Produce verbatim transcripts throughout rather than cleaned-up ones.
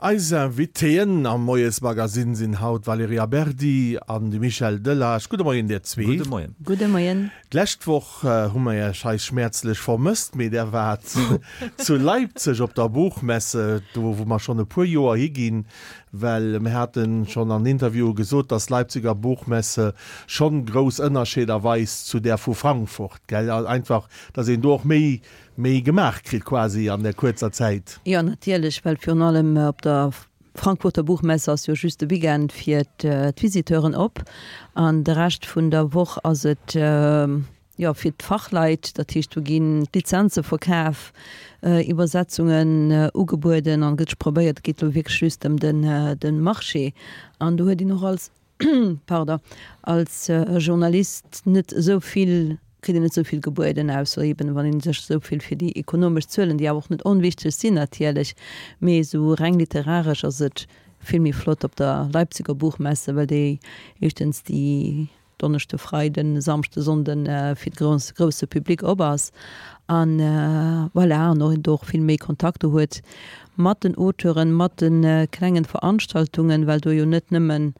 Eis Invitéen am Moiesmagazin sinn haut d'Valerija Berdi an de Michel Delage. Gudde Moien dir zwee. Gudde Moien. Gudde Moien. D'lescht Woch hu mer iech hei schmäerzlech vermësst, mee där waart zu Leipzig op der Buchmesse, do wou mer schonn e puer Joer higinn, well mir haten schonn an Interviewe gesot, dass d'Leipziger Buchmesse schonn grouss Ënnerscheeder weist zu där vu Frankfurt, gell? Einfach, dass een do och méi, méi gemaach kritt quasi an där kuerzer Zäit. Jo, natierlech, well virun allem op der Frankfurter Buchmesse ass jo just de Weekend fir d'Visiteuren op an de Rescht vun der Woch ass et jo fir d'Fachleit. Dat heescht, do ginn d'Lizenze verkaf, Iwwersetzungen ugebueden an gëtt probéiert, et geet elo wierklech just ëm de Marché an do huet een och als pardon, als Journalist net esou vill, kritt een net esou vill gebueden, ausser eben wann ee sech esou vill fir déi ekonomesch Zuelen, déi awer och net onwichteg sinn natierlech, mee esou reng literaresch ass et vill méi flott op der Leipziger Buchmesse, well déi éischtens déi Donneschde, Freiden, Samschde, Sonnden fir de grousse Public op ass an voilà, an och een do och vill méi Kontakter huet mat den Auteuren, mat de klengen Veranstaltungen, well do jo net nëmmen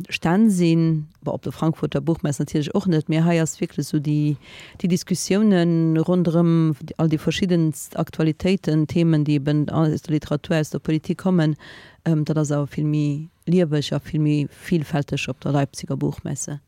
Stänn sinn, bon op der Frankfurter Buchmesse natierlech och net, mee hei ass wierklech esou déi déi Diskussiounen ronderëm all déi verschiddenst Aktualitéiten, Themen, déi eben aus der Literatur, aus der Politik kommen, dat ass awer vill méi lieweg a vill méi villfälteg op der Leipziger Buchmesse.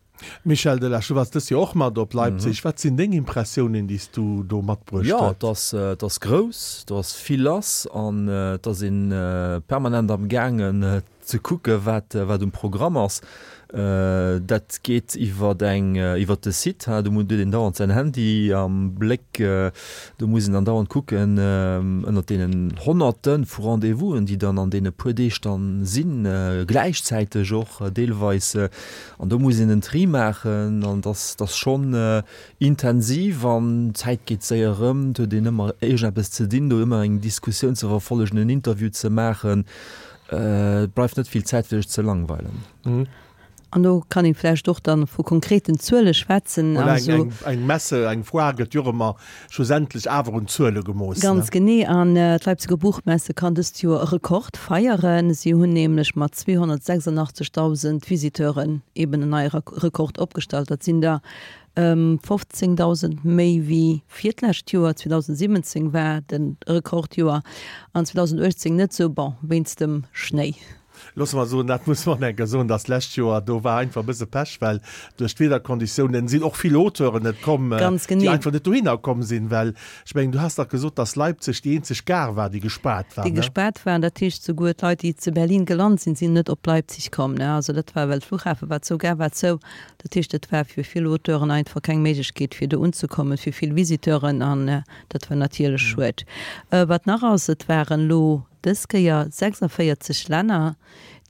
Michel Delage, du waars dëst Joer och mat op Leipzig. Wat sinn deng Impressiounen, déi s du do matbruecht Jo, huet? et ass, et ass grouss, do ass vill lass an et ass ee permanent am gaangen ze kucke wat, wat um Programm ass. Dat geet iwwer eng, iwwer de Site, ha, do huet een dauernd säin Handy am Bléck, do muss een dann dauernd kucken ënnert deenen Honnerte vu Rendez-vousen, déi dann an deene puer Deeg dann sinn, gläichzäiteg och deelweis. An do muss een en Tri maachen an dass dass schonn intensiv an d'Zäit geet séier erëm. Et huet een ëmmer iergendeppes ze dinn, do ëmmer eng Diskussioun ze verfollegen, en Interview ze maachen. Et bleift net vill Zäit fir sech ze langweilen. An do kann ee vläicht och dann vu konkreten Zuele schwätzen. Voilà, eng, eng, eng Messe, eng Foire gëtt jo och ëmmer schlussendlech awer un Zuele gemooss. Ganz genee. An d'Leipziger Buchmesse kann dëst Joer e Rekord feieren. Si hunn nämlech mat zweehonnertsechsundachtzigtausend Visiteuren eben en neie Rekord opgestallt. Dat sinn der fofzéngdausend méi wéi fir d'lescht Joer. zweedausendsiwwenzéng war de Rekordjoer an zweedausenduechtzéng net esou, bon, wéinst dem Schnéi. Loosse mer soen, dat muss mer enker soen, dass d'lescht Joer, do war einfach e bësse Pech, well duerch d'Wiederkonditiounen sinn och vill Auteuren net komm, Ganz déi genee. einfach net dohinner komm sinn, well ech mengen, du has dach gesot, dass Leipzig déi eenzeg Gare war, déi gespaart war, Déi ne? gespaart war. Dat heescht, souguer d'Leit, déi zu Berlin gelant sinn, sinn net op Leipzig komm, ne? Also dat war, well d'Flughafe war zou, Gare war zou. Dat heescht, et war fir vill Auteuren einfach keng Méiglechkeet, fir do unzekommen, fir vill Visiteuren, an dat war natierlech schued. Wat nach ass, et waren elo dës Kéier sechsundvéierzeg Länner,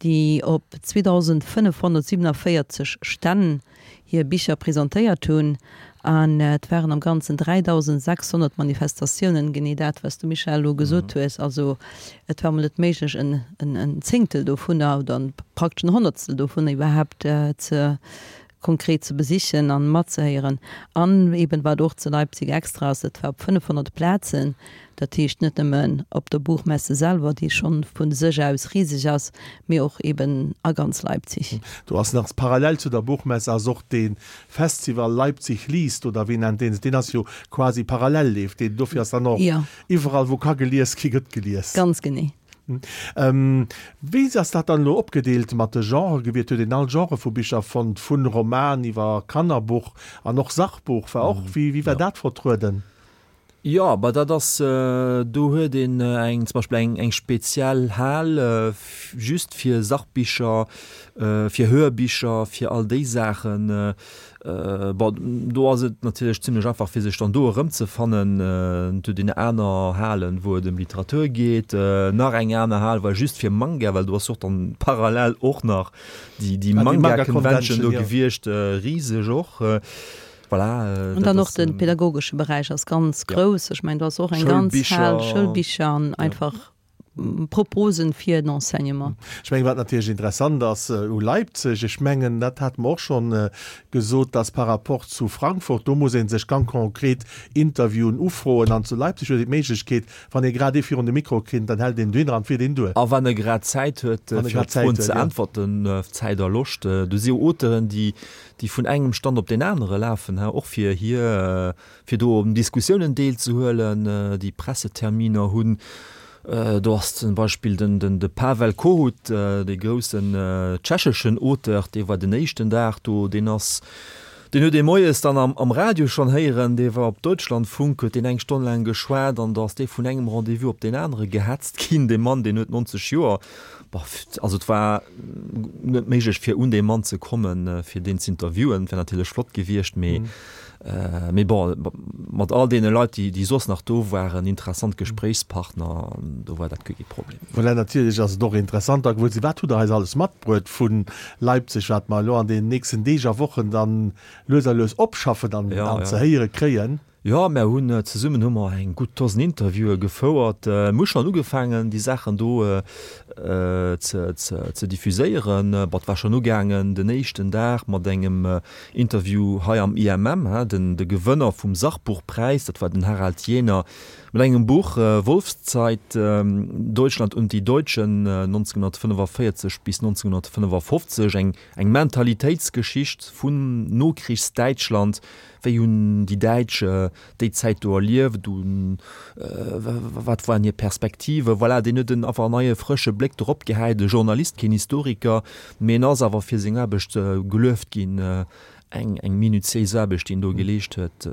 déi op zweedausendfënnefhonnertsiewenundvéierzeg Stänn hir Bicher presentéiert hunn, an et waren am Ganzen dräidausendsechshonnert Manifestatiounen, genee dat, wat s du, Michèle, elo gesot hues. Also et war emol net méiglech, en en Zéngtel dovunner oder praktesch en Honnertstel dovunner iwwerhaapt ze konkret ze besichen an matzehéieren. An eben wat och zu Leipzig extra ass, et war op fënnefhonnert Plazen, dat heescht net nëmmen op der Buchmesse selwer, déi schonn vu sech aus riseg ass, mee och eben a ganz Leipzig. Do ass nach parallel zu der Buchmesse ass och dee Festival Leipzig liest oder wéi nennt deen sech, deen ass jo quasi parallel leeft deen, dofir ass dann och iwwerall wou ka gelies gi gëtt gelies. Ganz genee. Wéi ass dat dann elo opgedeelt mat de Genrë gewiert? Huet een all Genre vu Bicher fonnt, vun Roman iwwer Kannerbuch an och Sachbuch war och? Wéi wéi war dat vertrueden? Jo, bah dat ass, do huet een eng zum Beispill eng eng speziell Hal just fir Sachbicher, fir Hörbicher, fir all déi Saachen. Bon, do ass et natierlech zimlech einfach, fir sech dann do erëmzefannen. Et huet een aner Halen, wou et ëm Literatur geet, nach eng aner Hal war just fir Manga, well do ass och dann parallel och nach déi, déi Manga Convention do gewiescht, riseg och. Voilà. An dann och de pädagogesche Beräich ass ganz grouss. Ech mengen, do ass och eng ganz Hal, Schoulbicher an einfach Proposen fir den Enseignement. Ech mengen, wat natierlech interessant ass u Leipzig, ech mengen, dat hate mer och schonn gesot, dass par rapport zu Frankfurt, do muss ee sech ganz konkret Interviewen ufroen an zu Leipzig huet een d'Méiglechkeet, wann ee grad ee virun de Mikro kritt, dann hält een dohinner an fiert een duer. A wann e grad Zäit huet, fir op d'Froen ze äntwerten, Zäit a Loscht. Do si jo Auteuren, déi déi vun engem Stand op deen anere lafen, och fir hir, fir do un Diskussiounen deelzehuelen, déi Presseterminer hunn. Do ass zum Beispill den, den, de Pavel Kohut, dee groussen tschecheschen Auteur, dee war den éischten Dag do, deen ass, deen huet ee moies dann am, am Radio schonn héieren, dee war op Deutschlandfunk, huet deen eng Stonn laang geschwat an da ass dee vun engem Rendez-vous op deen anere gehetzt ginn. Dee Mann, deen huet nonzeg Joer. Boah, also et war net méiglech fir un dee Mann ze kommen, fir deen z'interviewen. Et wär natierlech flott gewiescht, mee mee bon, mat all deene Leit, déi déi soss nach do waren, interessant Gespréichspartner, do war dat guer kee Problem. Voilà, natierlech ass et och interessant da gewuer ze sinn, wat hutt Der eis alles matbruet vu Leipzig, wat mer elo an deenen nächsten Deeg a Wochen dann lues a lues opschaffen an an ze héiere kréien. Jo, mär hunn zesummen hu mer eng gutt Dosen Interviewe gefouert. Mir hu schonn ugefaangen, déi Saachen do ze ze diffuséieren. Bon, et war schonn ugaangen den éischten Dag mat engem Interview hei am I M M, den de Gewënner vum Sachbuchpräis, dat war den Harald Jähner, mat engem Buch Wolfszeit, Deutschland und die Deutschen neunzehnhundertfünfundvierzig bis neunzehnhundertfünfundfünfzig, eng eng Mentalitéitsgeschicht vun Nokrichsdäitschland. Wéi hunn déi Däitsch déi Zäit do erlieft? Wat waren hir Perspektiven? Voilà, deen huet en einfach en neie frësche Bléck dorop gehäit. E Journalist, keen Historiker, mee en ass awer fir seng Aarbecht gelueft ginn. Eng, eng minutiéis Aarbecht, déi en do geleescht huet,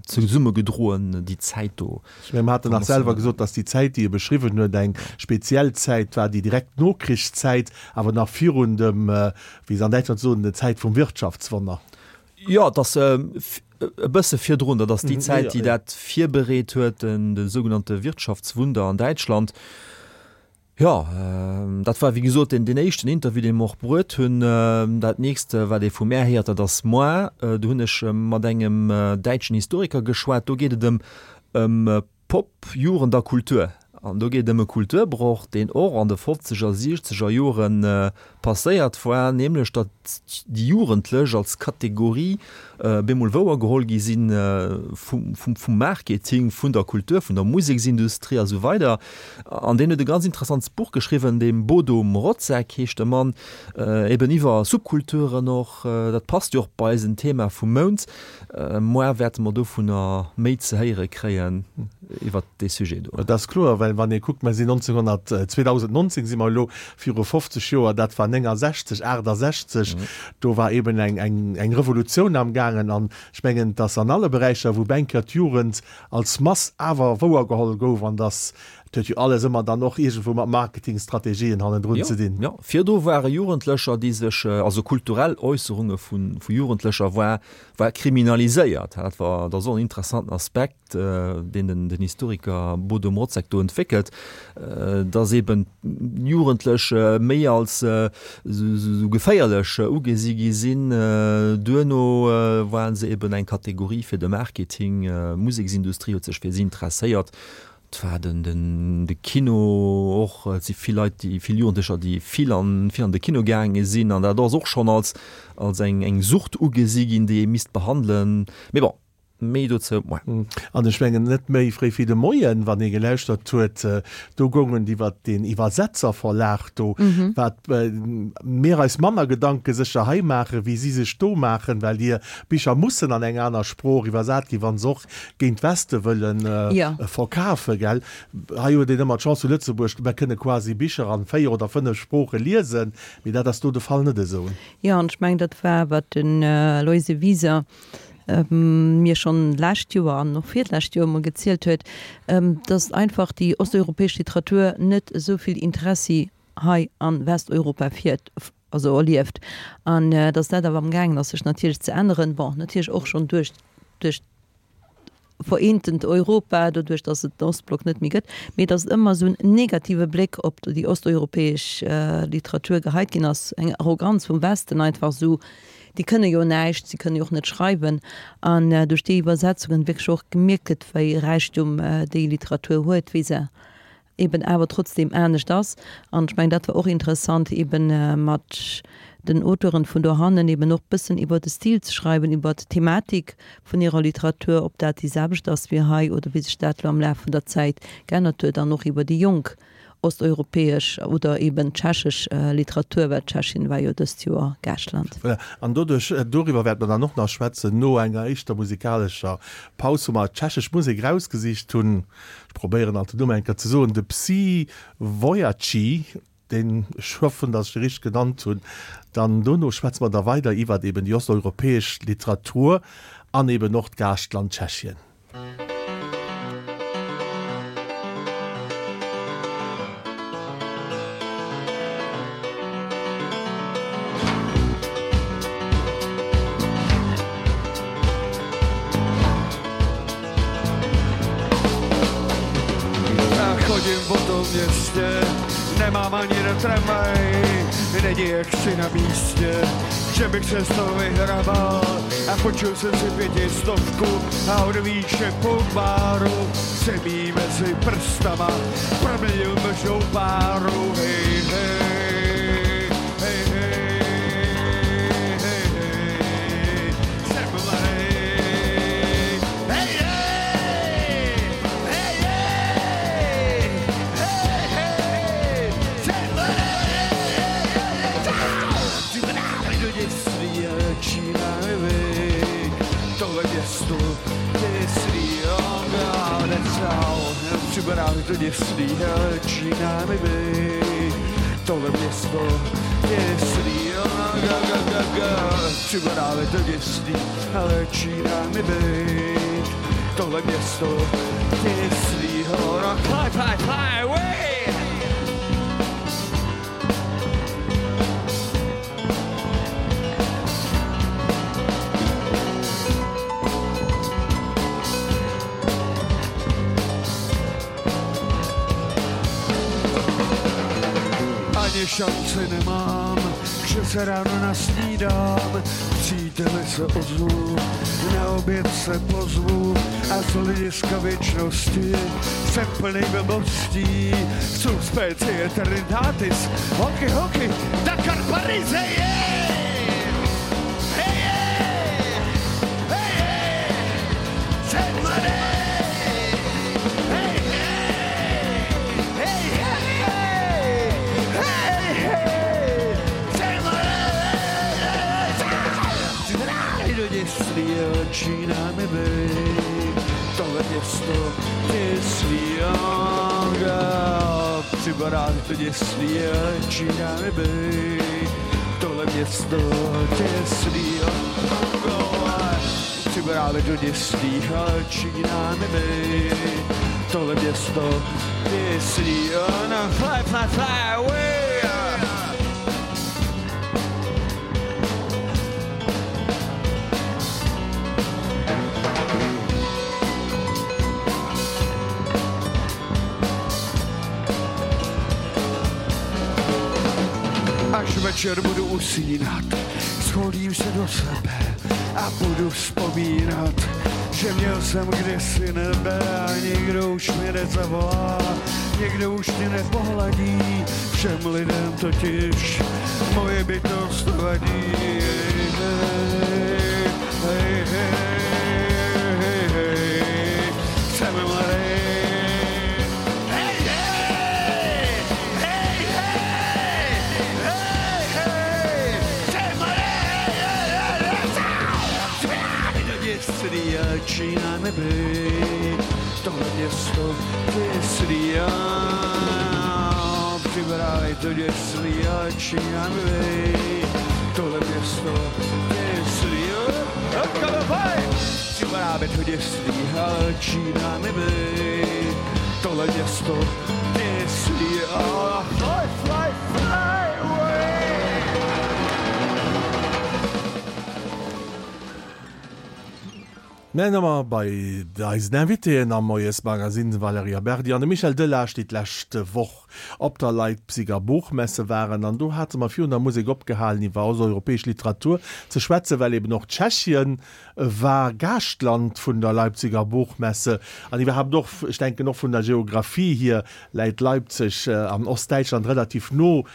zesummegedroen, déi Zäit do. Ech mengen, mer haten nach selwer gesot, datt déi Zäit, déi e beschriwwen huet, eng speziell Zäit war, déi direkt Nokrichszäit, awer nach virun dem, wéi se an Däitschland soen, der Zäit vum Wirtschaftswonner. Jo, et ass e bësse virdrun, dat ass déi Zäit, déi dat virbereet huet, de sougenannte Wirtschaftswunder an Däitschland. Jo, dat war wéi gesot deen éischten Interview, dee mer och bruet hunn. Dat nächst, wat ee vu mär héiert, dat ass moar. Do hunn ech mat engem däitschen Historiker geschwat. Do geet et ëm Pop, Jugend a Kultur. An do geet et ëm e Kulturbroch, deen och an de fofzeger, siechzeger Jore passéiert war, nämlech datt déi Jugendlech als Kategorie bemol wouergeholl gi si vum Marketing, vun der Kultur, vun der Museksindustrie a sou weider. An deen huet e ganz interessants Buch geschriwwen, de Bodo Mrozek heescht de Mann, eben iwwer Subkulturen och. Dat passt jo och bei eisen Thema vum Mount. Moar wäerte mer dovunner méi ze héiere kréien iwwert dee Sujet do. Dat ass kloer, well wann ee kuckt, mer sinn neunzehnhundert, zweedausendneunzehn si mer elo, viru fofzeg Joer, dat war néngensechzeg, achtesechzeg, do war eben eng, eng, eng Revolutioun amgaangen. An ech mengen, dass an alle Beräicher, wou Bänker d'Jugend als Mass awer wouergeholl gouf, an dass, et huet jo alles ëmmer dann och iergendwou mat Marketingstrategien hannendrun ze dinn. Jo, virdu ware Jugendlecher, déi sech, also kulturell Äusserunge vu Jugendlecher war, war kriminaliséiert. Dat war, dat ass och en interessanten Aspekt, deen den, den Historiker Bodo Mrozek do entwéckelt, dass eben Jugendlech méi als esou geféierlech ugesi gi sinn. Duerno waren se eben eng Kategorie fir de Marketing, d'Museksindustrie huet sech fir si interesséiert. Et war den, den, de Kino och, et si vill Leit, déi, vill Jugendlecher, déi vill an, vill an de Kino gaange sinn an dat ass och schonn als, als eng, eng Sucht ugesi ginn, déi ee misst behandelen. Mee bon, méi dozou moar. An ech mengen, net méi fréi wéi de Moien, wann ee gelauschtert huet, do goung et iwwert deen Iwwersetzerverlag do, wat mir eis manner Gedanke sécher hei maachen, wéi si sech do maachen, well hir Bicher mussen an eng aner Sprooch iwwersat ginn, wa se och géint Weste wëlle verkafen, gell. Hei huet een ëmmer d'Chance zu Lëtzebuerg, mer kënne quasi Bicher an véier oder fënnef Sprooche liesen, mee dat ass do de Fall net esou. Jo, an ech mengen, dat war, wat den Aloyse Wieser mir schonn d'lescht Joer an och virlescht Joer emol gezielt huet, dass einfach déi osteuropäesch Literatur net esou vill Interessi hei a Westeuropa fiert, also erlieft, an dass dat awer amgaangen ass sech natierlech ze änneren, bon, natierlech och schonn duerch duerch d'vereentent Europa, doduerch dass et den Ostblock net méi gëtt, mee dass et ëmmer esou en negative Bléck op déi osteuropäesch Literatur geheit ginn ass, eng Arroganz vum Westen einfach esou, déi kënne jo näischt, si kënne jo och net schreiwen, an duerch déi Iwwersetzungen wierklech och gemierkt gëtt, wéi Räichtum déi Literatur huet, wéi se eben awer trotzdem anescht ass. An ech mengen, dat war och interessant, eben mat den Auteuren vun dohannen eben och bëssen iwwer de Stil ze schreiwen, iwwer d'Thematik vun hirer Literatur, ob dat déi selwecht ass wéi hei oder wéi sech dat elo am Laf vun der Zäit geännert huet, an och iwwer déi jonk osteuropäesch oder eben tschechesch Literatur, well Tschechien war jo dëst Joer Gaaschtland. Voilà, an doduerch, doriwwer wäerte mer dann och nach schwätzen no enger éischter musikalescher Paus, wou mer tschechesch Musek erausgesicht hunn. Ech probéieren alt den Numm eng Kéier ze soen, de Psi Vojaci, deen, ech hoffen, datt ech de richteg genannt hunn. Dann dono schwätze mer da weider iwwert eben déi osteuropäesch Literatur an eben och d'Gaaschtland Tschechien. Chodím po tom městě, nemám ani na tramvaj, není jak si na místě, že bych se z toho vyhrabal a půjčil jsem si pětistovku a od výše po baru jsem jí mezi prstama proměnil mlžnou páru. Hej, hej, hej, hej, hej, hej, jsem mladý. Hej, hej, hej, hej, hej, hej, jsem mladý. Do dětství začíná mi tohle město dětství, připadá mi to dětství, začíná mi být tohle město dětství, připadá mi to dětství, začíná mi být tohle město dětství, fly, fly, fly away. Ani šanci nemám, že se ráno nasnídám, příteli se ozvu, na oběd se pozvu a z hlediska věčnosti jsem plný blbostí. Jsou specie Trinitatis, hoky, hoky, Dakar, Paris, hej, hej! Hej, hej! Hej, hej! Jsem mladý! Hej, hej! Hej, hej! Hej, hej! Jsem mladý! Do dětství začíná mi být tohle město dětství, připadá mi to dětství, začíná mi být tohle město dětství, připadá mi to dětství, začíná mi být tohle město dětství, fly, fly, fly away. Až večer budu usínat, schodím se do sebe a budu vzpomínat, že měl jsem kdysi nebe a nikdo už mě nezavolá, nikdo už mě nepohladí, všem lidem totiž moje bytost vadí. Hej, hej, hej, hej, hej, jsem mladý. Hej, hej, hej, hej, hej, hej, jsem mladý. Do dětství začíná mi být tohle město dětství, připadá mi to dětství, začíná mi být tohle město dětství, připadá mi to dětství, začíná mi být tohle město dětství, fly, fly, fly away. Mir ëmmer bei eisen Invitéen am Moiesmagazin, Valerija Berdi an de Michel Delage, déi d'lescht Woch op der Leipziger Buchmesse waren. An do hate mer virun der Musek opgehalen, iwwer osteuropäesch Literatur ze schwätzen, well eben och Tschechien war Gaaschtland vun der Leipziger Buchmesse. An iwwerhaapt och, ech denken och vun der Geographie hier läit Leipzig an Ostdäitschland relativ no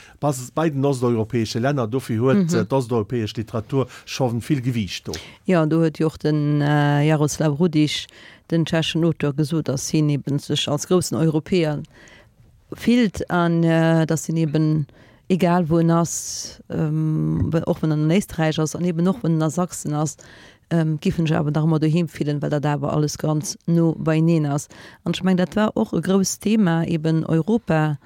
bei den osteuropäesche Länner. Dofir huet d'osteuropäesch Literatur scho vill Gewiicht do. Jo, do huet jo och den Jaroslav Rudiš, den tschechen Auteur, gesot, datt hien eben sech als groussen Europäer fillt an datt hien eben, egal wou en ass, och wann en an Éisträich ass an eben och wann en a Sachsen ass, giff en sech awer nach ëmmer doheem fillen, well dat awer alles ganz no beieneen ass. An ech mengen, dat war och e grousst Thema, eben Europa.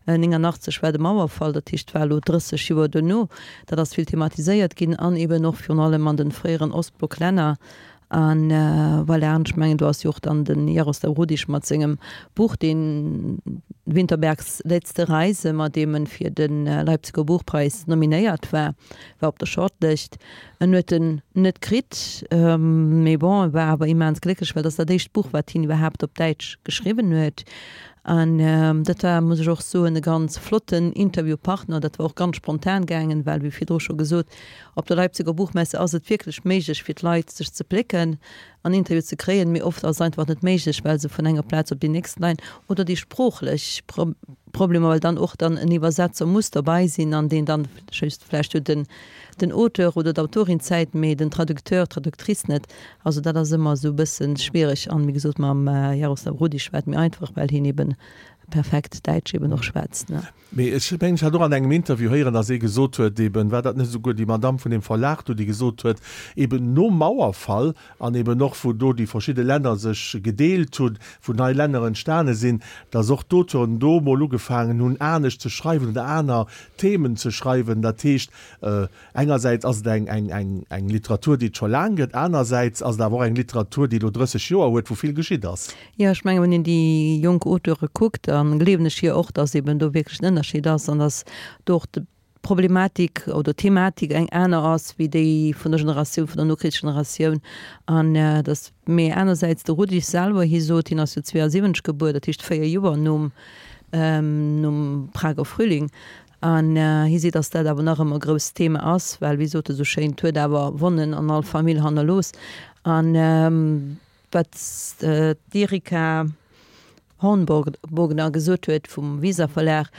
néngannachtzeg war de Mauerfall, dat heescht, et war elo drësseg Joer duerno, dat ass vill thematiséiert ginn an eben och virun allem an de fréieren Ostblocklänner. An voilà, an ech mengen, do ass jo och dann de Jaroslav Rudiš mat sengem Buch, deen Winterbergs letzte Reise, mat deem en fir de Leipziger Buchpreis nominéiert war, war op der Shortlëscht. En huet en net kritt, mee bon, e war awer immens glécklech, well dat ass dat éischt Buch, wat hien iwwerhaapt op Däitsch geschriwwen huet. An dat war, muss ech och soen, e ganz flotten Interviewpartner. Dat war och ganz spontan gaangen, well, wéi virdru scho gesot, op der Leipziger Buchmesse ass et wierklech méiglech fir d'Leit, sech ze plécken an Interview ze kréien, mee oft ass et einfach net méiglech, well se vun enger Plaz op déi nächst leien oder déi sproochlech Problemer, well dann och dann en Iwwersetzer muss derbei sinn an deen dann just vläicht huet den den Auteur oder d'Autorin Zäit, mee den Traducteur, d'Traductrice net. Also dat ass ëmmer esou e bësse schwiereg an, wéi gesot, mam Jaroslav Rudiš war et méi einfach, well hien eben perfekt Däitsch eben och schwätzt, ne. Mee ech mengen, ech hat och an engem Interview héieren, datt ee gesot huet, eben, war dat net esouguer déi Madamm vun deem Verlag do, déi gesot huet, eben nom Mauerfall an eben och wou do déi verschidde Länner sech gedeelt hunn, wou nei Länner entstane sinn, datt och d'Auteuren do emol ugefaangen hunn, anescht ze schreiwen oder aner Themen ze schreiwen. Dat heescht, engersäits ass et eng, eng, eng, eng Literatur, déi et scho laang gëtt, anersäits ass et awer och eng Literatur, déi elo drësseg Joer huet, wou vill geschitt ass. Jo, ech mengen, wann een déi jonk Auteure kuckt, da gleewen ech hir och, datt eben do wierklech en Ënnerscheed ass an datt do och d'Problematik oder d'Thematik eng aner ass wéi déi vun der Generatioun, vun der Nokrichsgeneratioun. An datt, mee anersäits de Rudiš selwer, hie sot, hien ass jo zweeasiwwenzeg gebuer, dat heescht véier Joer nom, nom Prager Frühling, an hie seet, datt dat awer nach ëmmer e grousst Thema ass, well, wéi sot e sou schéin, et huet awer Wonnen an all Famill hannerlooss. An wat d'Erika Hornbogner gesot huet vum Weser Verlag,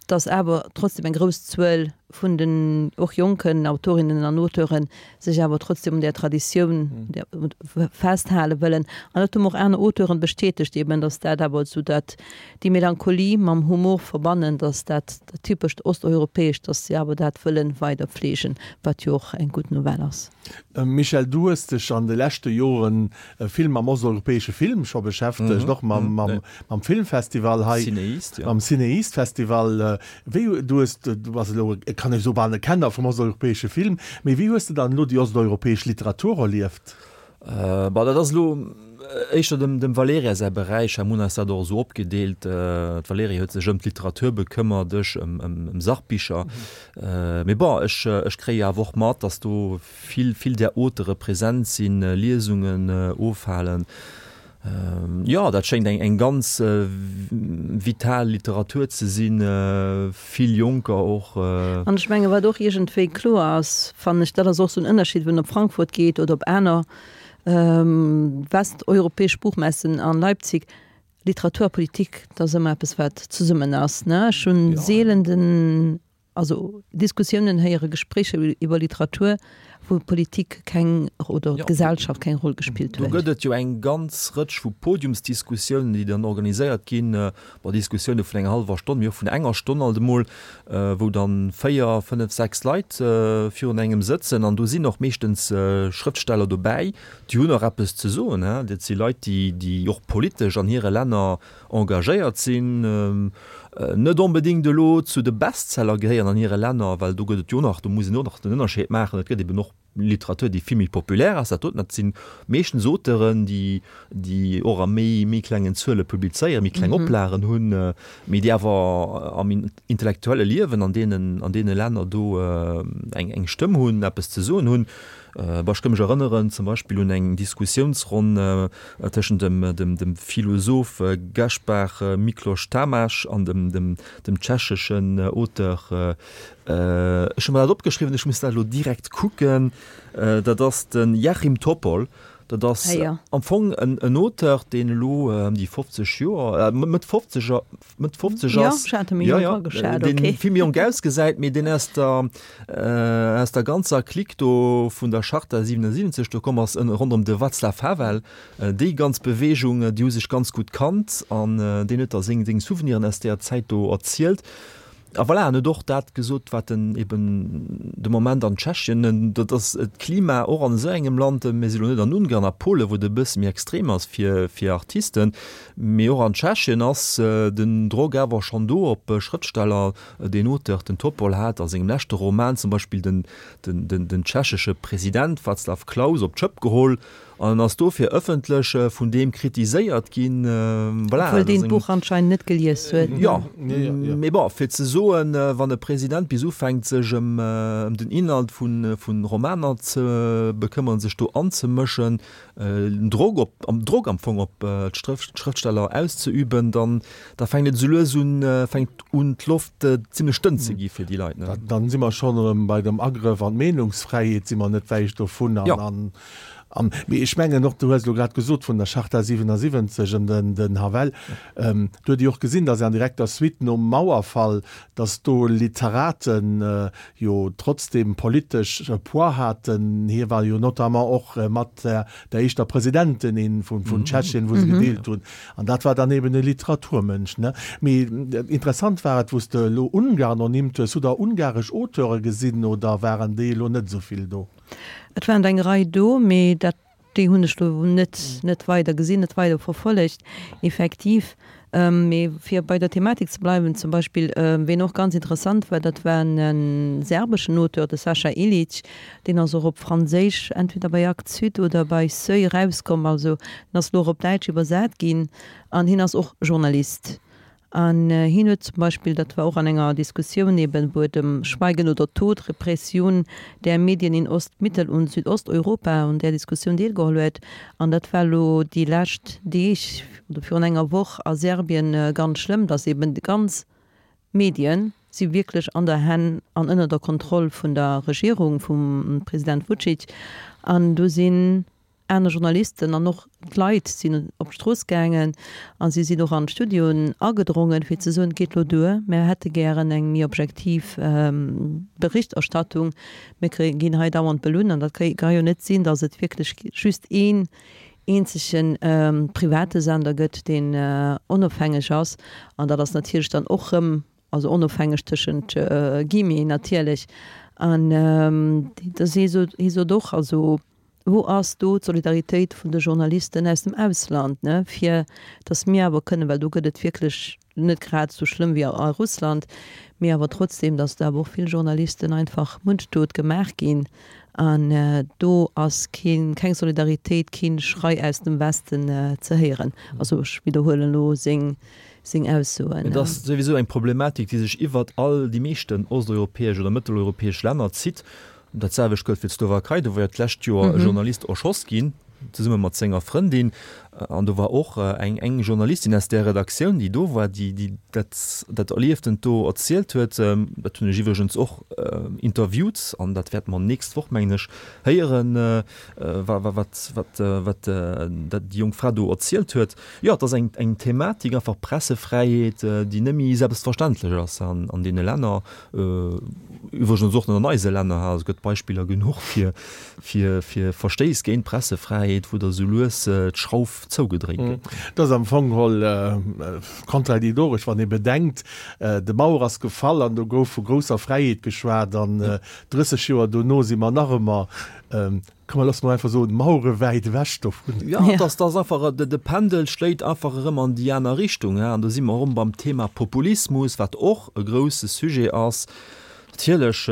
dass awer trotzdem eng grouss Zuel vun den och jonken Autorinnen an Auteuren sech awer trotzdem un där Traditioun festhale wëllen. An dat hu mer och aner Auteuren bestätegt eben, dass dat awer esou dat déi Melancholie mam Humor verbannen, dass dat dat typescht Osteuropäescht, dass si awer dat wëllen weider pflegen, wat jo och eng gutt Nouvelle ass. Michel, du hues dech an de leschte Joren vill mam osteuropäesche Film scho beschäftegt, och mam Filmfestival hei, mam CinEast-Festival. Wéi, du hues, du bass elo, kann ech soen, bal e Kenner vum osteuropäesche Film, mee wéi hues de dann elo déi osteuropäesch Literatur erlieft? Bon, dat ass elo éischter dem, dem Valerija säi Beräich. Hei hunn eis dat och esou opgedeelt. D'Valerija huet sech ëm d'Literatur bekëmmert, ech ëm, ëm, ëm Sachbicher. Mee bon, ech, ech kréie awer och mat, datt do vill, vill där Auteure present sinn, Liesungen ofhalen. Jo, dat schéngt eng, eng ganz vital Literatur ze sinn, vill Jonker och. An ech menge wat och iergendwéi kloer ass, fannen ech, dat ass och esou en Ënnerscheed, wann een op Frankfurt geet oder op aner westeuropäesch Buchmessen an Leipzig, Literatur a Politik, dat ass ëmmer eppes wat zesummen ass, ne? Ech hunn seelen den, also Diskussiounen héiere, Gespréicher iwwer Literatur, wou Politik keng oder d'Gesellschaft keng Roll gespillt huet. Do gëtt et jo eng ganz Rëtsch vu Podiumsdiskussiounen, déi dann organiséiert ginn, bon, Diskussioune vun enger hallwer Stonn, mee och vun enger Stonn alt emol, wou dann véier, fënnef, sechs Leit virun engem sëtzen. An do sinn och meeschtens Schrëftsteller dobäi, déi hunn och eppes ze soen. Dat si Leit, déi, déi och politesch an hire Länner engagéiert sinn, net onbedéngt elo zu de Bestseller gehéieren an hire Länner, well do gëtt et jo nach, do muss een och nach den Ënnerscheed maachen, et gëtt eben och Literatur, déi vill méi populär ass. Dat doten, dat si meeschtens Auteuren, déi, déi och a méi, méi klengen Zuele publizéieren, méi kleng Oplagen hunn, mee déi awer am intellektuelle Liewen an deenen, an deene Länner do eng, eng Stëmm hunn, eppes ze soen hunn. Bon, ech ka mech erënneren zum Beispill un eng Diskussiounsronn tëschent dem, dem, dem Philosoph Gaspar Miklós Tamás an dem, dem, dem tschecheschen Auteur, ech hu mer dat opgeschriwwen, ech muss dat elo direkt kucken, dat ass de Jáchym Topol. Dat ass am Fong en, en Auteur, deen elo ëm déi fofzeg Joer, Mëtt fofzeg, Mëtt fofzeg ass. Jo, ech hat e méi jonk ageschat, okay. Deen vill méi jonk ausgesäit, mee deen aus der, aus der ganzer Clique do vun der Charta siwenundsiwwenzeg do komm ass, ronderëm de Václav Havel. Déi ganz Beweegung, déi hu sech ganz gutt kannt an deen huet da seng, seng Souveniren aus deeër Zäit do erzielt. A voilà, en huet och dat gesot, wat en eben de Moment an Tschechien, dat ass d'Klima och an esou engem Land, mir si lo net an Ungarn a Polen, wou et e bësse méi extrem ass fir, fir Artisten, mee och an Tschechien ass den Drock awer schonn do op Schrëftsteller. Deen Auteur, den Topol, hat a sengem leschte Roman zum Beispill den, den, den, den tschechesche President Václav Klaus op d'Schëpp geholl, An en ass dofir ëffentlech vun deem kritiséiert ginn. Voilà, Obwuel deen d'Buch anscheinend net gelies huet. Jo, mee bon, fir ze soen, wann e President bis ufänkt sech ëm den Inhalt vu Romaner ze bekëmmeren, sech do anzemëschen, Drock op, Drock am Fong op d'Schrëftsteller auszeüben, dann da fänkt et esou lues un, fänkt un d'Loft zimlech dënn ze gi fir déi Leit. Dann si mer schonn erëm bei dem Agrëff an d'Meenungsfräiheet, si mer net wäit dovun. An An, mee ech mengen och, du hues elo grad gesot vun der Charta siwenundsiwwenzeg an den, den Havel, do huet Dir och gesinn, datt an direkter Suite nom Mauerfall, datt do Literaten jo trotzdem politesch e Poids haten. Hie war jo notamment och mat der, der éischter Presidentin vun, vun Tschechien, wou se gedeelt hunn. An dat war dann eben e Literaturmënsch, ne? Mee interessant war et, wou s de elo Ungarn ernimmt hues, Hutt Der ungaresch Auteure gesinn oder waren déi elo net esou vill do? Et waren der eng Rei do, mee dat, déi hunn ech do net, net weider gesinn, net weider verfollegt, effektiv. Mee fir bei der Thematik ze bleiwen, zum Beispill, ween och ganz interessant war, dat war e serbeschen Auteur, de Saša Ilić, deen ass och op Franséisch, entweder bei Actes Sud oder bei Seuil erauskomm, also en ass elo och op Däitsch iwwersat ginn an hien ass och Journalist. An hien huet zum Beispill, dat war och an enger Diskussioun eben, wou et ëm Schweigen oder Tod, Repression der Medien in Ost-, Mittel und Südosteuropa, un där Diskussioun deelgeholl huet. An dat war elo déi lescht Deeg oder virun enger Woch a Serbien ganz schlëmm, dass eben déi ganz Medien si wierklech an der Hänn an ënner der Kontroll vun der Regierung vum President Vucic. An do sinn aner Journalisten an och d'Leit sinn op d'Strooss gaangen a si sinn och an d'Studioen agedrongen, fir ze soen, et geet elo duer, mär hätte gären eng méi objektiv Berichterstattung, mir ginn hei dauernd belunn an dat ka jo net sinn, datt et wierklech just een eenzege private Sender gëtt, deen onofhängeg ass. An dat ass natierlech dann och erëm, also onofhängeg tëschent Guillemeten natierlech, an hie sot och, also Wou ass do d'Solidaritéit vun de Journalisten aus dem Ausland, ne, fir datt mir awer kënnen, well do gëtt et wierklech net grad esou schlëmm wéi a Russland, mee awer trotzdem, datt do awer och vill Journalisten einfach mundtot gemaach ginn an do ass keen, keng Solidaritéit, keen Schrei aus dem Westen ze héieren. Also ech widderhuelen elo seng, seng Aussoen. Et ass souwisou eng Problematik, déi sech iwwert all déi meeschten osteuropäesch oder mëtteleuropäesch Länner zitt. Dat selwecht gëllt fir d'Slowakei, do war jo d'lescht Joer e Journalist erschoss ginn, zesumme mat senger Frëndin. An do war och eng eng Journalistin aus där Redaktioun, déi do war, déi déi dat dat Erlieftent do erzielt huet. Dat hunn ech iwwregens och interviewt an dat wäerte mer nächst Woch, mengen ech, héieren, wa wa wat wat wat dat déi jonk Fra do erzielt huet. Jo, et ass eng eng Thematik, einfach Pressefräiheet, déi net méi selbstverständlech ass an an deene Länner. Iwwregens och net an eise Länner, et gëtt Beispiller genuch fir fir fir Verstéiss géint d'Pressefräiheet, wou da sou lues d'Schrauf zougedréit gëtt. Et ass am Fong geholl kontradidoresch, wann ee bedenkt, de Mauer ass gefall an do gouf vu grousser Fräiheet geschwat an drësseg Joer dono si mer nach ëmmer Komm, loosse mer einfach soen, mauerewäit ewech dovun. Jo, et ass, ass einfach, de Pendel schléit einfach erëm an déi aner Richtung. An do si mer erëm beim Thema Populismus, wat och e grouse Sujet ass. Natierlech,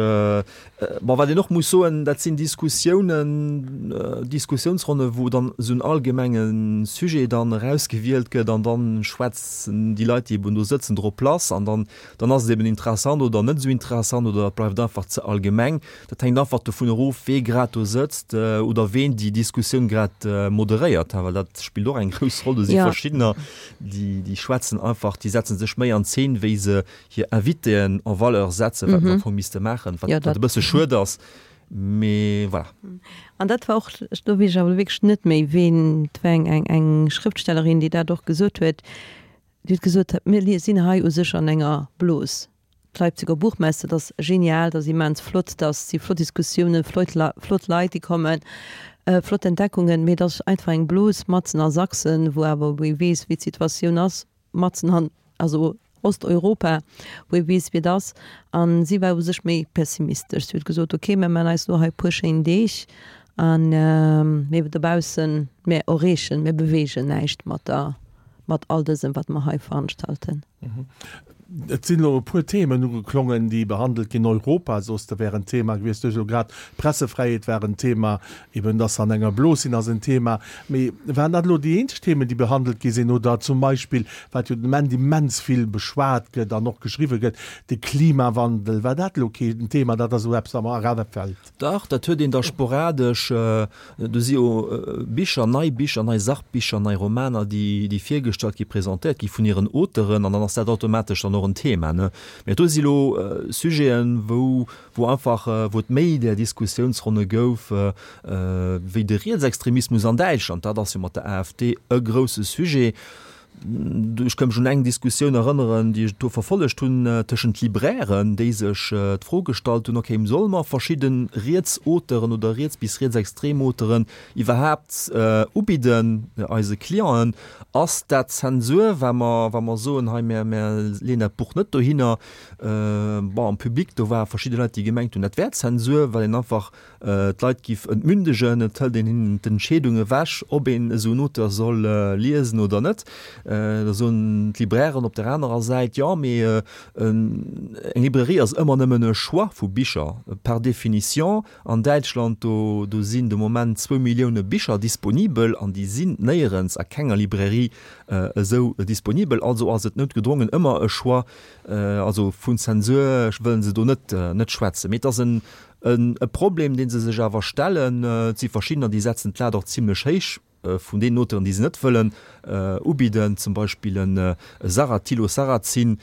Bon, wat een och muss soen, dat sinn Diskussiounen, Diskussiounsronne wou dann esou en allgemenge Sujet dann erausgewielt gëtt an dann schwätzen déi Leit, déi eben do sëtzen, drop lass an dann, dann ass et eben interessant oder net esou interessant oder et bleift einfach ze allgemeng. Dat hänkt einfach dovun erof, wee grad do sëtzt oder ween déi Diskussioun grad moderéiert, well dat spillt och eng grouss Roll. Do si verschiddener, déi, déi schwätzen einfach, déi setze sech méi an Zeen, wéi se hir Invitéen en valeur setzen, wat se am Fong misste maachen, wat e bësse schued ass, mee voilà. An dat war och, do weess ech awer wierklech net méi, ween, et war eng, eng, eng Schrëftstellerin, déi dat och gesot huet, déi huet gesot, mir sinn hei u sech an enger Blos. D'Leipziger Buchmesse, dat ass genial, dat ass immens flott, dat si flott Diskussiounen, flott, flott Leit, déi kommen, flott Entdeckungen, mee et ass einfach eng Blos matzen a Sachsen, wou awer, wou ee weess, wéi d'Situatioun ass, matzen an, also Osteuropa, wou ee weess, wéi et ass. A si war u sech méi pessimistesch. Si huet gesot, ok, mir maachen eis elo hei e puer schéin Deeg an mir dobaussen, mir erreechen, mir beweegen näischt mat der, mat all dësem, wat mer hei veranstalten. Et sinn elo e puer Themen ugeklongen, déi behandelt ginn. Europa, soss de, wär en Thema gewiescht. Du hues elo grad, d'Pressefräiheet war en Thema, eben dass se an enger Blos sinn, ass en Thema. Mee waren dat elo déi eenzeg Themen, déi behandelt gi sinn? Oder zum Beispill, wat jo den Ament immens vill beschwat gëtt an och geschriwwe gëtt, de Klimawandel, war dat elo keen Thema? Dat ass elo eppes, wat mer erafält. Dach, dat huet een da sporadesch. Do si jo Bicher, nei Bicher, nei Sachbicher, nei Romaner, déi, déi virgestallt gi, presentéiert gi vun hiren Auteuren, an dann ass dat automatesch dann och en Thema, ne. Mä do si lo Sujeten, wou, wou einfach, wou et méi där Diskussiounsronne gouf, wéi de Rietsextremismus an Däitschland. Dat ass jo mat der AfD e grousse Sujet. Ech ka mech un eng Diskussioun erënneren, déi ech do verfollegt hunn, tëschent Librairen, déi sech d'Fro gestallt hunn, okay, solle mer verschidde riets Auteuren oder riets bis rietsextrem Auteuren iwwerhaapt ubidden eise Clienten? Ass dat Zensur, wa mer, wa mer soen, hei, mir, mir leeën dat Buch net dohinner? Bon, am Public, do ware verschidde Leit, déi gemengt hunn, dat wär Zensur, well een einfach d'Leit giff entmündegen, et hëlt een hinnen d'Entscheedung ewech, ob een esou en Auteur soll liesen oder net. Da soen d'Librairen op der anerer Säit, jo, mee eng Librairie ass ëmmer nëmmen e Choix vu Bicher, par définition. An Däitschland, do do sinn de Moment zwou Millioune Bicher disponibel an déi sinn néierens a kenger Librairie esou disponibel. Also ass et noutgedrongen ëmmer e Choix. Also vun Zensur wëlle se do net net schwätzen. Mee et ass en e Problem, dee se sech awer stellen. Et si verschiddener, déi setzen d'Lat och zimlech héich vun deenen Auteuren, déi se net wëllen ubidden, zum Beispill en Sarah, Thilo Sarrazin,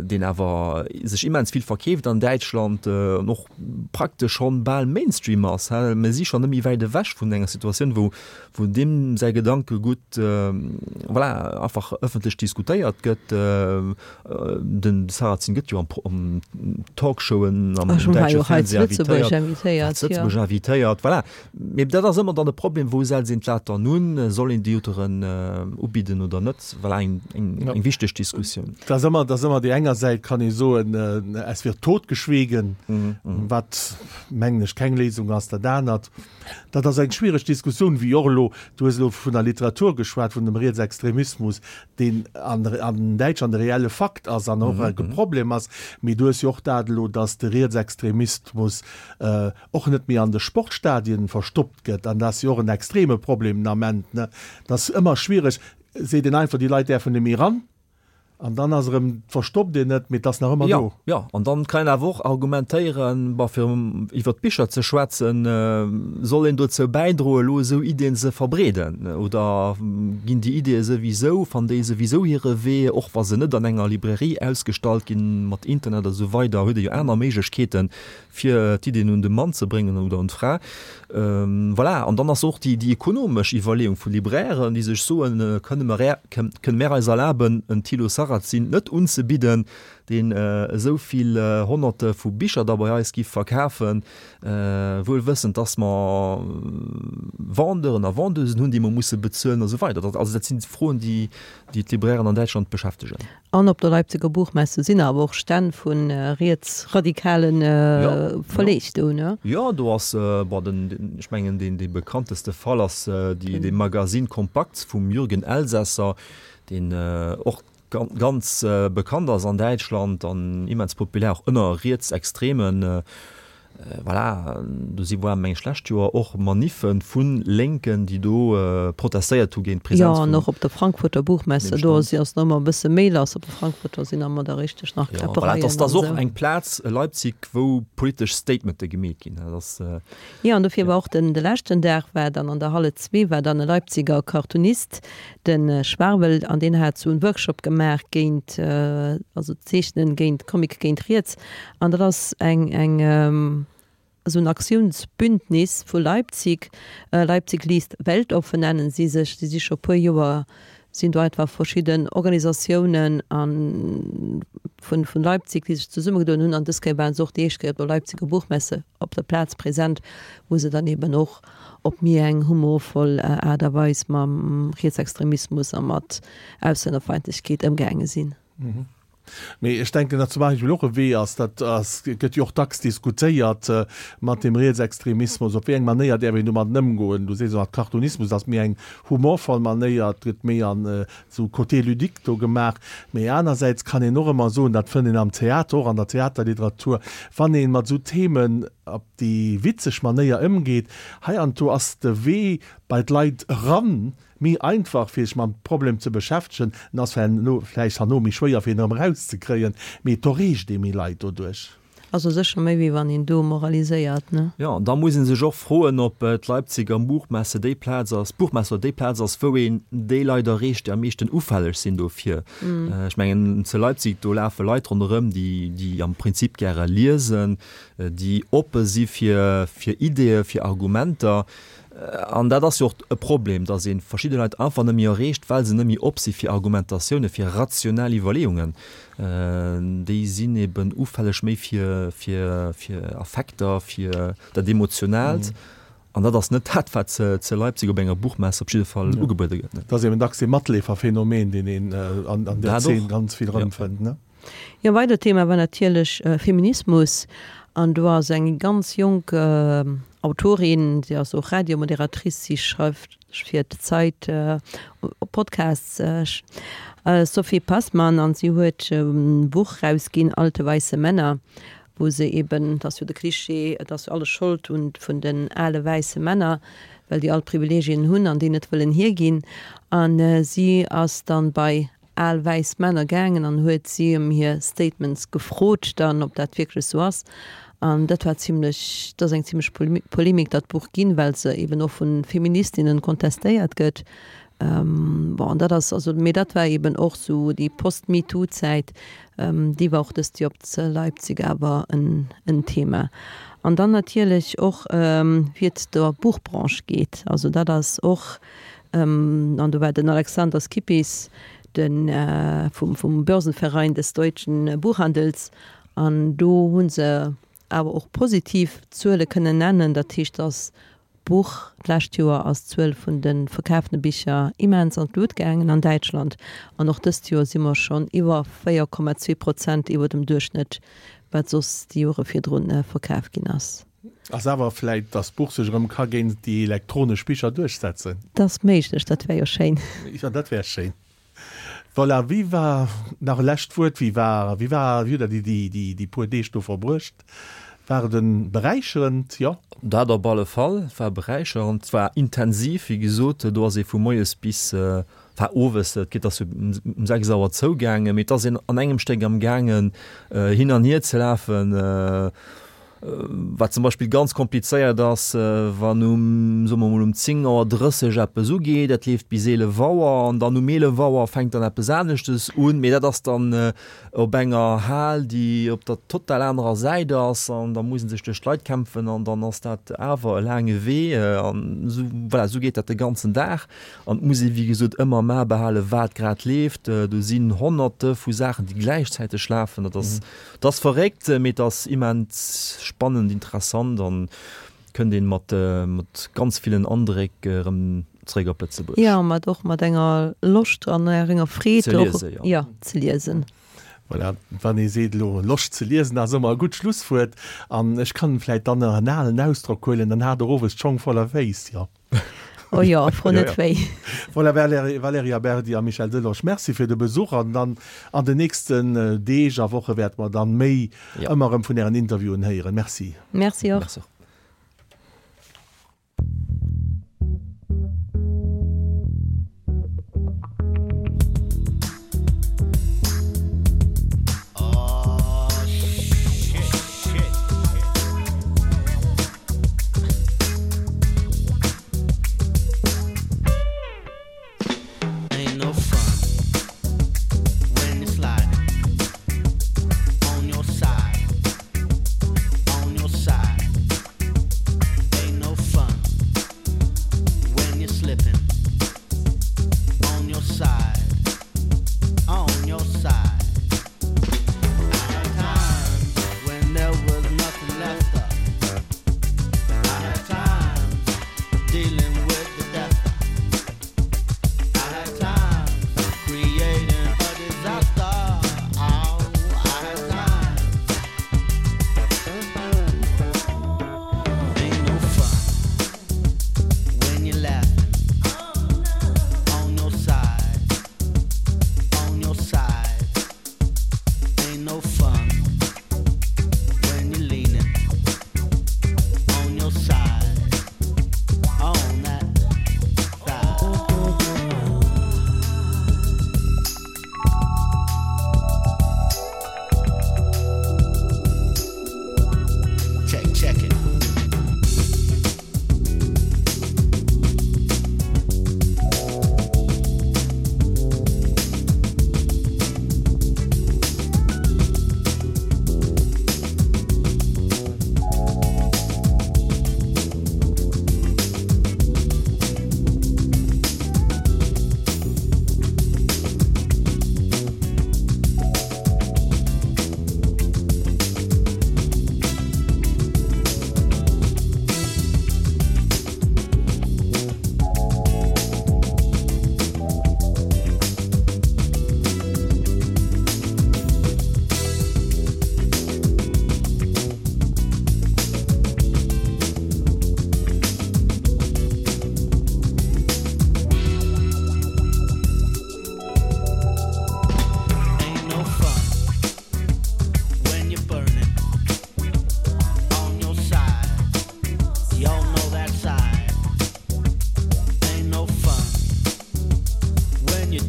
deen awer sech immens vill verkeeft an Däitschland an och praktesch schonn bal Mainstream ass. Mir si schonn net méi wäit ewech vun enger Situatioun, wou wou deem säi Gedankegutt, voilà, einfach ëffentlech diskutéiert gëtt. Den Sarrazin gëtt jo an Talkshowen am däitsche Fernseh invitéiert, zu Lëtzebuerg invitéiert, voilà. Mee dat ass ëmmer dann de Problem, wou setzt een d'Lat dann un? Soll een déi Auteuren ubidden oder net? Voilà, eng, eng, eng wichteg Diskussioun. Dat ass ëmmer, dat ass ëmmer déi enger Säit kann ee soen, es wird totgeschwiegen, wat, mengen ech, keng Léisung ass. Dat anert, dat ass eng schwiereg Diskussioun, wéi och elo, du hues elo vun der Literatur geschwat, vun dem Rietsextremismus, deen an, an Däitschland e reelle Fakt ass an och e Problem ass. Mee du hues jo och dat elo, datt de Rietsextremismus och net méi an de Sportstadien verstoppt gëtt. An dat ass jo och en extreme Problem den Ament, ne? Dat ass ëmmer schwiereg. Seet een einfach, déi Leit däerfen net méi eran? An dann ass erëm, verstoppt een et, mee et ass nach ëmmer do. Jo, jo, an dann kann een awer och argumentéieren, bon, fir iwwer d'Bicher ze schwätzen, soll een dozou bäidroen, elo esou Iddien ze verbreeden? Oder ginn déi Iddie souwisou, fannen déi souwisou hire Wee, och wa se net an enger Librairie ausgestallt ginn, mat Internet a sou weider huet ee jo aner Méiglechkeeten, fir d'Iddien un de Mann ze bréngen oder un d'Fra. Voilà, an dann ass och déi, déi ekonomesch Iwwerleeung vu Librairen, déi sech soen, Kënne mer, kënne mer eis erlaben, en Thilo Sarrazin net unzebidden, deen esou vill Honnerte vu Bicher da bei eis giff verkafen, wuel wëssend, dass mer Vendeuren a Vendeusen hunn, déi mer musse bezuelen a sou weider. Also dat sinn Froen, déi, déi d'Librairen an Däitschland beschäftegen. An op der Leipziger Buchmesse sinn awer och Stänn vu rietsradikale Verleeg do, ne? Jo, do ass, bon, den, ech mengen, deen, dee bekannteste Fall ass déi, dee Magazine Kompakt vum Jürgen Elsässer, deen och ganz bekannt ass an Däitschland an immens populär och ënner Rietsextremen. Voilà, do si war meng schlecht Joer och Maniffe vun Lénken, déi do protestéiert hu géint d'Presenz vun. Jo, an och op der Frankfurter Buchmesse, do ass ass nach ëmmer e bësse méi lass. Op der Frankfurter sinn ëmmer da richteg nach Kläppereien. Jo, voilà, dat ass och eng Plaz, Leipzig, wou politesch Statemente gemeet ginn. Dat ass. Jo, an dofir war och den de leschten Dag war dann an der Halle zwee war dann e Leipziger Cartoonist, de Schwarbel, an deen hat sou en Workshop gemaach géint, also Zeechnen géint, Comic géint riets. An dat ass eng eng esou en Aktiounsbündnis vu Leipzig, Leipzig liest weltoffen nennen si sech. Si si scho puer Joer, sinn do einfach verschidden Organisatiounen a vun vun Leipzig, déi sech zesummegedoen hunn. An dës Kéier waren se och déi éischt Kéier op der Leipziger Buchmesse op der Plaz present, wou se dann eben och op méi eng humorvoll Aart a Weis mam Rietsextremismus a mat Auslännerfeindlechkeet ëmgaange sinn. Mee ech denken, datt zum Beispill och e Wee ass, dat ass, gëtt jo och dacks diskutéiert mat dem Rietsextremismus, op wéi eng Manéier däerf een domadden ëmgoen. Du sees mat Cartoonismus ass méi eng humorvoll Manéier, et gëtt méi an esou Côté ludique do gemaach. Mee anersäits kann een och ëmmer soen, dat fënnt een am Theater och, an der Theaterliteratur, wann ee mat esou Themen op déi witzeg Manéier ëmgeet, heiansdo ass de Wee bei d'Leit eran méi einfach fir sech mam Problem ze beschäftegen, en ass vläicht herno méi schwéier fir en erëm erauszekréien, mee et erreecht ee méi Leit doduerch. Also sécher méi wéi wann een do moraliséiert, ne? Jo, an da muss ee sech och froen, ob d'Leipziger Buchmesse déi Plaz ass, d'Buchmesse oder déi Plaz ass, wou een déi Leit erreecht, déi am meeschten ufälleg sinn dofir. Ech mengen, zu Leipzig, do lafe Leit ronderëm, déi, déi am Prinzip gäre liesen, déi oppe si fir, fir Ideeë, fir Argumenter. An dat ass jo och e Problem, datt ee verschidde Leit einfach net méi erreecht, well se net méi op si fir Argumentatioune, fir rationell Iwwerleeungen. Déi sinn eben ufälleg méi fir, fir, fir Affekter, fir dat Emotionaalt. An dat ass net dat, wat ze Leipzig op enger Buchmesse op jidde Fall ugebuede gëtt. Dat ass eben dacks dee Matleeferphänomen, deen een an där Zeen ganz vill erëmfënnt, ne? Jo, weidert Thema war natierlech Feminismus. An do ass eng ganz jonk Autorin, si ass och Radiomoderatrice, si schreift fir d'Zeit Podcasts, Sophie Passmann, an si huet e Buch rausginn, Alte weiße Männer, wou se eben, et ass jo de Klischee, et ass jo alles Schold vun den ale wäisse Männer, well déi all d'Privilegien hunn an déi net wëllen hierginn. A si ass dann bei al wäiss Männer gaangen an huet si ëm hir Statements gefrot dann, ob dat wierklech sou ass. An dat war zimlech, dat ass eng zimlech Polemik dat Buch ginn, well se eben och vu Feministinnen kontestéiert gëtt. Bon, an dat ass also, mee dat war eben och sou déi Post-MeToo-Zäit, déi war och dëst Joer op zu Leipzig awer en en Thema. An dann natierlech och wéi et der Buchbranche geet. Also dat ass och, an do war den Alexander Skippis, de vum vum Börsenverein des deutschen Buchhandels, an do hu se awer och positiv Zuele kënnen nennen. Dat heescht, datt d'Buch, d'lescht Joer ass d'Zuel vun de verkafene Bicher immens an d'Lut gaangen an Däitschland, an och dëst Joer si mer schonn iwwer véier Komma zwee Prozent iwwer dem Duerchschnëtt, wat soss déi Jore virdrun verkaf ginn ass. Ass awer vläit, dass d'Buch sech erëm ka géint déi elektronesch Bicher duerchsetzen. Dat ass méiglech, dat wär jo schéin. Jo, dat wär schéin. Voilà, wéi war, nach e lescht Wuert, wéi war, wéi war, wéi hutt Der déi, déi, déi, déi puer Deeg do verbruecht? War et e beräicherend, jo? Dat op alle Fall, et war beräicherend, et war intensiv, wéi gesot, do ass ee vu moies bis, Enfin owes, et geet ass jo um sechs Auer zougaangen, mee et ass een an engem Stéck am gaangen hin an hier ze lafen, wat zum Beispill ganz komplizéiert ass, wann um, soe mer mol, um zéng Auer drësseg eppes ugeet, dat leeft bis eelef Auer an dann um eelef Auer fänkt dann eppes aneschtes un, mee dat ass dann op enger Hal, déi op der total anerer Säit ass an da muss ee sech duerch d'Leit kämpfen an dann ass dat awer e laange Wee an esou, voilà, esou geet dat de ganzen Dag. An et muss ee wéi gesot ëmmer am A behalen, wat grad leeft. Do sinn Honnerte vu Saachen, déi gläichzäiteg lafen. Dat ass, dat ass verréckt, mee et ass immens spannend, interessant an kënnt een mat, mat ganz villen Andréck erëm zeréck op Lëtzebuerg. Jo, mat och mat enger Loscht an enger Freed Ze liesen, jo. Jo, ze liesen. Voilà, wann ee seet elo Loscht ze liesen ass ëmmer e gutt Schlusswuert. An ech kann vläit dann nach en alen Ausdrock huelen, dann hat Der owes d'Schong voller Féiss, jo. Oh jo, fro net wéi. Voilà, Valerija Berdi a Michel Delage, Merci fir de Besuch an dann an den nächsten Deeg a Woche wäerte mer dann méi ëmmer erëm vun Ären Interviewen héieren. Merci. Merci och. Merci och.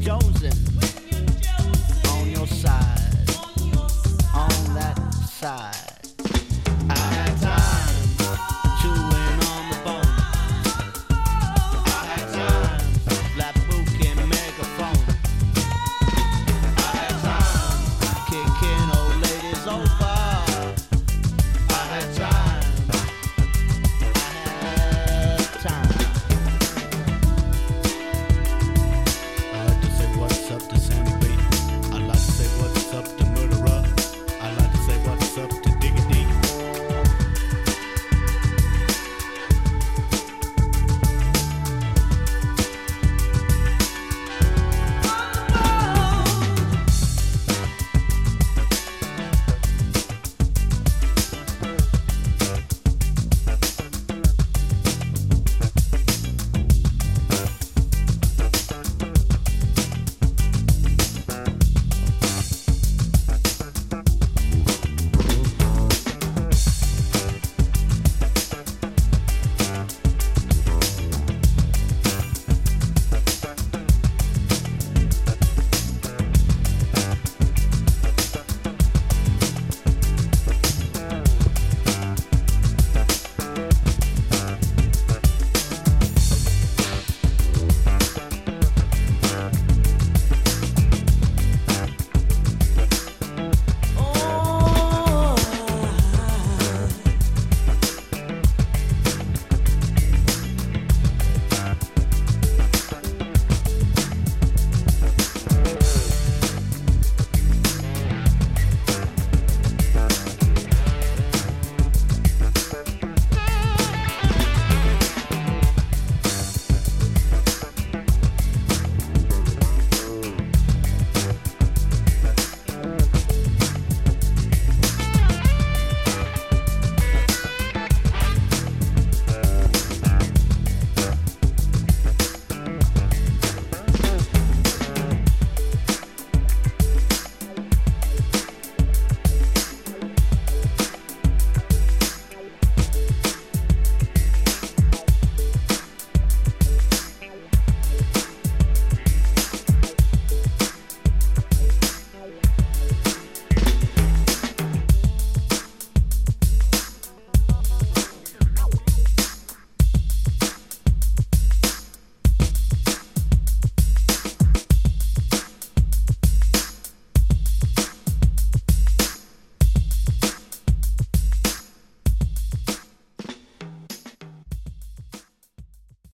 Jonesing.